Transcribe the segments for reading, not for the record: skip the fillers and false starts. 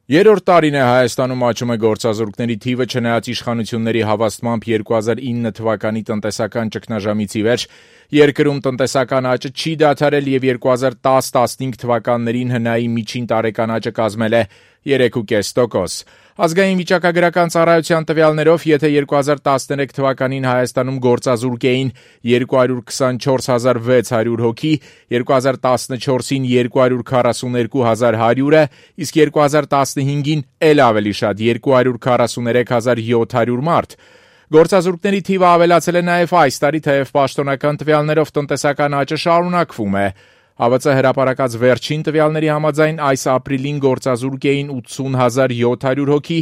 Երրորդ տարին է Հայաստանում աճում է գործազուրկների թիվը, չնայած իշխանությունների հավաստմամբ 2009 թվականի տնտեսական ճգնաժամից ի վեր երկրում տնտեսական աճը չի դադարել եւ 2010-15 թվականներին ՀՆԱ-ի միջին տարեկան աճը կազմել է 3.5%։ Ազգային վիճակագրական ծառայության տվյալներով, եթե 2013 թվականին Հայաստանում գործազուրկ էին 224,600 հոգի, 2014-ին 242,100 է, իսկ 2015-ին էլ ավելի շատ 243,700 մարդ։ Գործազուրկների թիվը ավելացել է նաև այս տարի, թեև պաշտոնական տվյալներով տնտեսական աճը շարունակվում է։ ՀԱՎԾ հրապարակած վերջին տվյալների համաձայն այս ապրիլին գործազուրկ էին 80,700 հոգի,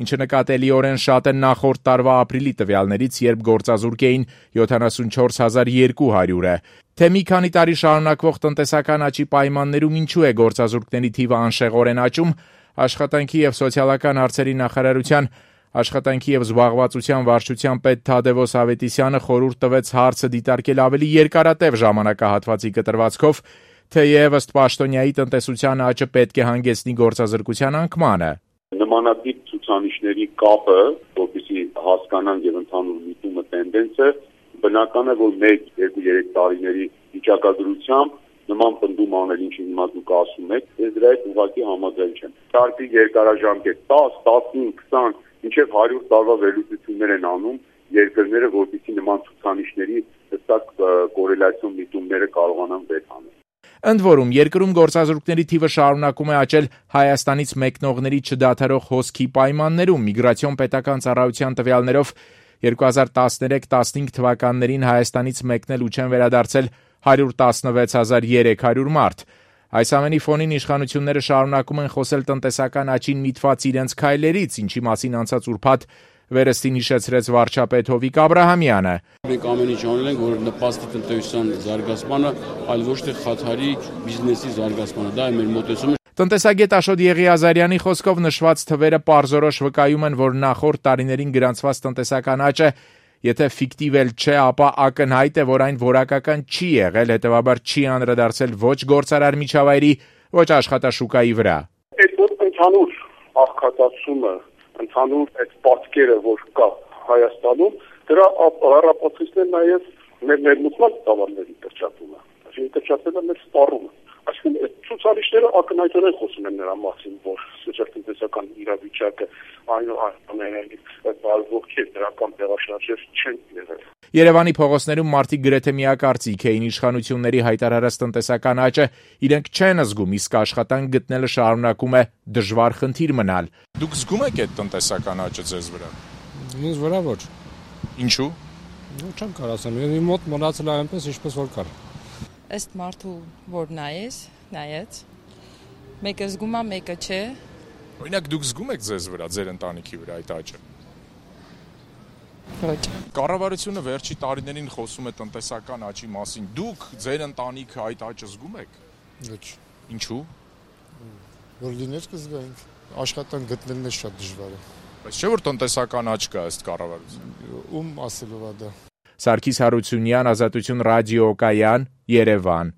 ինչը նկատելիորեն շատ է նախորդ տարվա ապրիլի տվյալներից, երբ գործազուրկ էին 74,200 է։ Թե մի քանի տարի շարունակվող տնտեսական աճի պայմաններում ինչու է գործազուրկների թիվը անշեղորեն աճում, Աշխատանքի և սոցիալական հարցերի նախարարության Աշխատանքի և զբաղվածության վարչության պետ Թադևոս Ավետիսյանը խորհուրդ տվեց հարցը դիտարկել ավելի երկարատև ժամանակահատվածի կտրվածքով, թեև ըստ պաշտոնյայի տնտեսության աճը պետք է հանգեցնի գործազրկության անկմանը։ Նմանատիպ ցուցանիշների կապը, որպեսզի հասկանան եւ ընդհանուր միտումը տենդենսը, բնական է, որ 1-2-3 տարիների վիճակագրությամբ նման պնդում անել, ինչի հիմա դուք ասում եք, ես դրա հետ ուղղակի համաձայն չեմ։ Տարբեր երկարաժամկետ 10, 15, 20 մինչև 100 տարվա վերլուծություններ են անում երկրները, որպեսզի նման ցուցանիշների հստակ կորելացիոն միտումները կարողանան վեր հանել։ Ընդ որում, երկրում գործազուրկների թիվը շարունակում է աճել Հայաստանից մեկնողների չդադարող հոսքի պայմաններում։ Միգրացիոն պետական ծառայության տվյալներով 2013-15 թվականներին Հայաստանից մեկնել ու չեն վերադարձել 116,300 մարդ։ Այս ամենի ֆոնին իշխանությունները շարունակում են խոսել տնտեսական աճին միտված իրենց քայլերից, ինչի մասին անցած ուրբաթ վերստին հիշեցրեց վարչապետ Հովիկ Աբրահամյանը։ Մենք ամեն ինչ անել ենք, որ նպաստի տնտեսության զարգացմանը, այլ ոչ թե խաթարի բիզնեսի զարգացմանը։ Դա է մեր մոտեցումը։ Տնտեսագետ Աշոտ Եղիազարյանի խոսքով նշված թվերը պարզորոշ վկայում են, որ նախորդ տարիներին գրանցված տնտեսական աճը, եթե ֆիկտիվ էլ չէ, ապա ակնհայտ է, որ այն որակական չի եղել, հետևաբար չի անդրադարձել ոչ գործարար միջավայրի, ոչ աշխատաշուկայի վրա։ Այդ ընդհանուր աղքատացումը, ընդհանուր այդ պատկերը, որ կա Հայաստանում, դրա առապացույցն է նաև մեր ներմուծման տավարների կրճատումը, այսինքն կրճատվել է մեր սպառումը։ Այսինքն այդ ցուցանիշները ակնհայտորեն խոսում են նրա մասին, որ սոցիալ-տնտեսական իրավիճակը այնուամենայնիվ բարվոք չէ, դրական տեղաշարժեր չեն եղել։ Երևանի փողոցներում մարդիկ գրեթե միակարծիք էին իշխանությունների հայտարարած տնտեսական աճը իրենք չեն զգում, իսկ աշխատանք գտնելը շարունակում է դժվար խնդիր մնալ։ Դուք զգում եք այդ տնտեսական աճը ձեզ վրա։ Ինձ վրա ոչ։ Ինչու։ Չեմ կարող ասեմ, իմ մոտ մնացել է այնպես, ինչպես որ կար։ Ըստ մարդու, որ նայեց, մեկը զգում է, մեկը չէ։ Օրինակ դուք զգում եք ձեզ վրա, ձեր ընտանիքի վրա այդ աճը։ Ոչ։ Կառավարությունը վերջի տարիներին խոսում է տնտեսական աճի մասին։ Դուք ձեր ընտանիքը այդ աճը զգում եք։ Ոչ։ Ինչու։ Որ լիներ կզգայինք, աշխատանք գտնելն է շատ դժվար է։ Բայց չէ՞ որ տնտեսական աճ կա ըստ կառավարության։ Ում ասելով է դա։ Սարգիս Հարությունյան, Ազատություն ռադիոկայան, Երևան։